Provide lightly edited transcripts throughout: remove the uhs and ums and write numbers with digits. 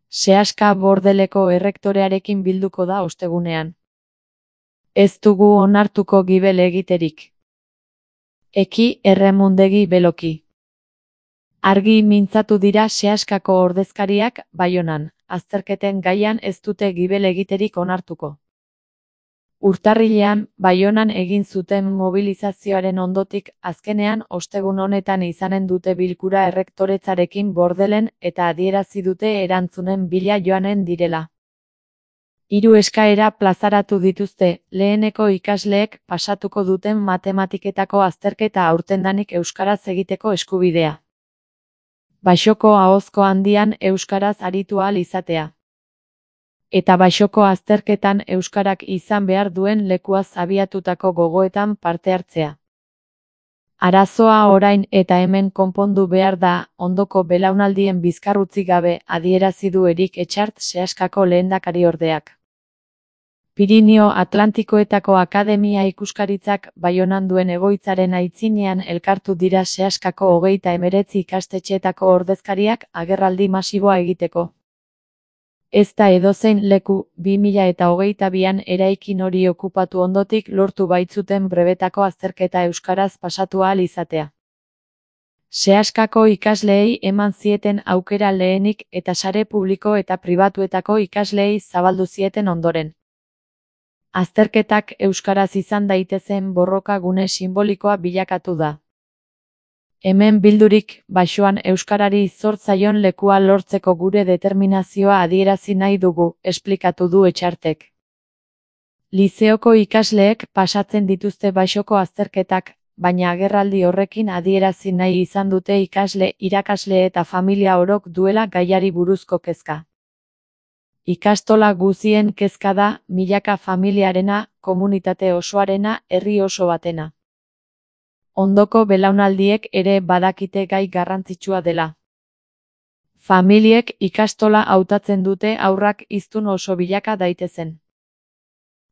Seaska Bordeleko errektorearekin bilduko da ostegunean. Ez dugu onartuko gibel egiterik. Eki erremundegi beloki. Argi mintzatu dira Seaskako ordezkariak Baionan, azterketen gaian ez dute gibel egiterik onartuko. Urtarrilean, Baionan egin zuten mobilizazioaren ondotik, azkenean ostegun honetan izanen dute bilkura errektoretzarekin Bordelen eta adierazi dute erantzunen bila joanen direla. 3 eskaera plazaratu dituzte, leheneko ikasleek pasatuko duten matematiketako azterketa aurtendanik euskaraz egiteko eskubidea. Baxoko ahozko handian euskaraz aritu ahal izatea. Eta baxoko azterketan euskarak izan behar duen lekuaz abiatutako gogoetan parte hartzea. Arazoa orain eta hemen konpondu behar da, ondoko belaunaldien bizkarrutzi gabe, adierazi du Erik Etxart Seaskako lehendakariordeak. Pirinio Atlantikoetako Akademia Ikuskaritzak Baionan duen egoitzaren aitzinean elkartu dira Seaskako 39 ikastetxeetako ordezkariak agerraldi masiboa egiteko. Ez da edozein leku, 2022an eraikin hori okupatu ondotik lortu baitzuten brebetako azterketa euskaraz pasatu ahal izatea. Seaskako ikasleei eman zieten aukera lehenik eta sare publiko eta pribatuetako ikasleei zabaldu zieten ondoren. Azterketak euskaraz izan daitezen borroka gune simbolikoa bilakatu da. Hemen bildurik, baxoan euskarari zor zaion lekua lortzeko gure determinazioa adierazi nahi dugu, esplikatu du Etxartek. Lizeoko ikasleek pasatzen dituzte baxoko azterketak, baina agerraldi horrekin adierazi nahi izan dute ikasle, irakasle eta familia orok duela gaiari buruzko kezka. Ikastola guzien kezka da, milaka familiarena, komunitate osoarena, herri oso batena. Ondoko belaunaldiek ere badakite gai garrantzitsua dela. Familiek ikastola hautatzen dute haurrak hiztun oso bilaka daitezen.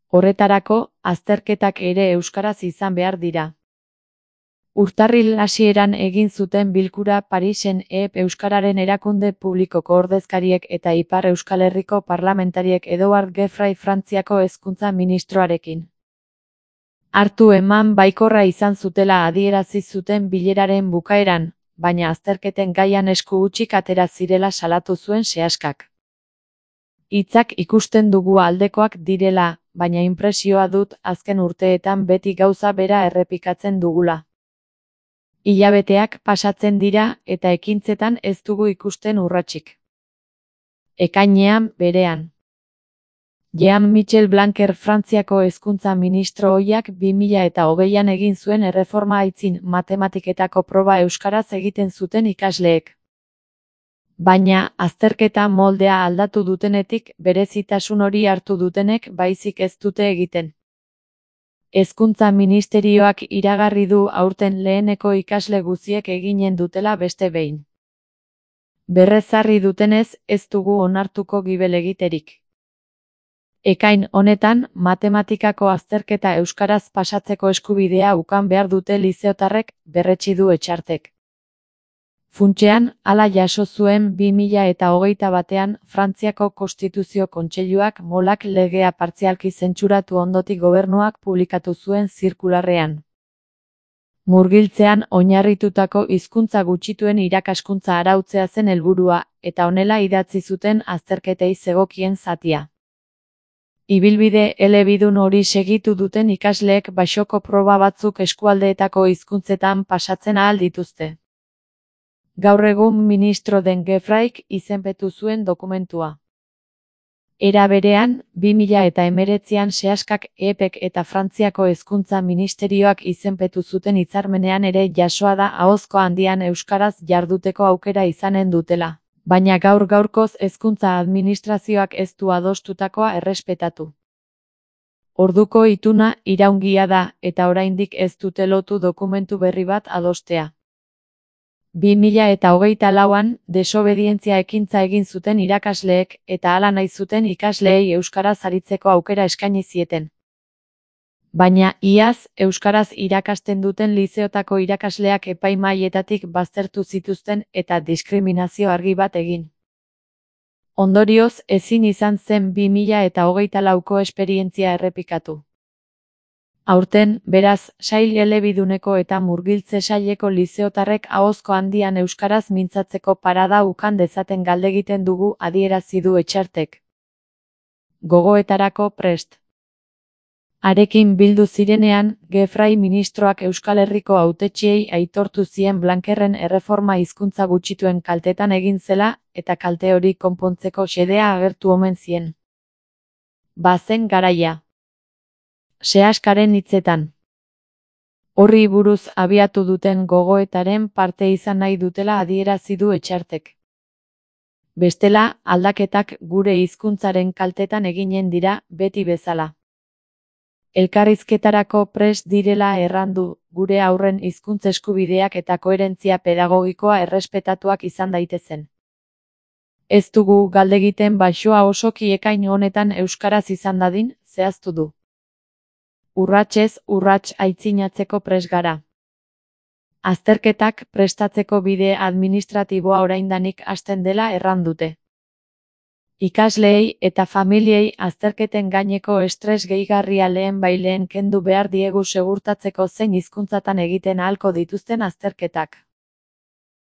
Horretarako, azterketak ere euskaraz izan behar dira. Urtarril hasieran egin zuten bilkura Parisen euskararen erakunde publikoko ordezkariek eta Ipar Euskal Herriko parlamentariek Edouard Geoffroy Frantziako hezkuntza ministroarekin. Hartu eman baikorra izan zutela adierazi zuten bileraren bukaeran, baina azterketen gaian esku hutsik atera zirela salatu zuen Seaskak. Hitzak ikusten dugu aldekoak direla, baina inpresioa dut azken urteetan beti gauza bera errepikatzen dugula. Hilabeteak pasatzen dira eta ekintzetan ez dugu ikusten urratsik. Ekainean, berean. Jean-Michel Blanquer Frantziako hezkuntza ministro ohiak 2020an egin zuen erreforma aitzin matematiketako proba euskaraz egiten zuten ikasleek. Baina, azterketa moldea aldatu dutenetik berezitasun hori hartu dutenek baizik ez dute egiten. Hezkuntza ministerioak iragarri du aurten leheneko ikasle guztiek eginen dutela beste behin. Berrezarri dutenez, ez dugu onartuko gibel egiterik. Ekain honetan, matematikako azterketa euskaraz pasatzeko eskubidea ukan behar dute lizeotarrek, berretsi du Etxartek. Funtsean, hala jaso zuen 2021an Frantziako Konstituzio Kontseiluak molak legea partzialki zentsuratu ondotik gobernuak publikatu zuen zirkularrean. Murgiltzean oinarritutako hizkuntza gutxituen irakaskuntza arautzea zen helburua, eta honela idatzi zuten azterketei zegokien zatia. Ibilbide elebidun hori segitu duten ikasleek baxoko proba batzuk eskualdeetako hizkuntzetan pasatzen ahal dituzte. Gaur egun ministro den Geoffroyk izenpetu zuen dokumentua. Era berean, 2019an Seaskak EPEk eta Frantziako hezkuntza ministerioak izenpetu zuten hitzarmenean ere jasoa da ahozko handian euskaraz jarduteko aukera izanen dutela. Baina gaur-gaurkoz hezkuntza administrazioak ez du adostutakoa errespetatu. Orduko ituna iraungia da eta oraindik ez dute lotu dokumentu berri bat adostea. 2024an desobedientzia ekintza egin zuten irakasleek eta hala nahi zuten ikasleei euskaraz aritzeko aukera eskaini zieten. Baina iaz euskaraz irakasten duten lizeotako irakasleak epaimahaietatik baztertu zituzten eta diskriminazio argi bat egin. Ondorioz, ezin izan zen 2024ko esperientzia errepikatu. Aurten, beraz, sail elebiduneko eta murgiltze saileko lizeotarrek ahozko handian euskaraz mintzatzeko parada ukan dezaten galdegiten dugu adierazi du Etxartek. Gogoetarako prest. Harekin bildu zirenean, Gefrai ministroak Euskal Herriko hautetsiei aitortu zien Blankerren erreforma hizkuntza gutxituen kaltetan egin zela, eta kalte hori konpontzeko xedea agertu omen zien. Bazen garaia. Seaskaren hitzetan. Horri buruz abiatu duten gogoetaren parte izan nahi dutela adierazi du Etxartek. Bestela, aldaketak gure hizkuntzaren kaltetan eginen dira, beti bezala. Elkarrizketarako prest direla errandu, gure haurren hizkuntz eskubideak eta koherentzia pedagogikoa errespetatuak izan daitezen. Ez dugu galdegiten baxoa osoki ekain honetan euskaraz izan dadin, zehaztu du. Urratsez urrats aitzinatzeko prest gara. Azterketak prestatzeko bide administratiboa oraindanik hasten dela errandute. Ikasleei eta familiei azterketen gaineko estres gehigarria lehenbailehen kendu behar diegu segurtatzeko zein hizkuntzatan egiten ahalko dituzten azterketak.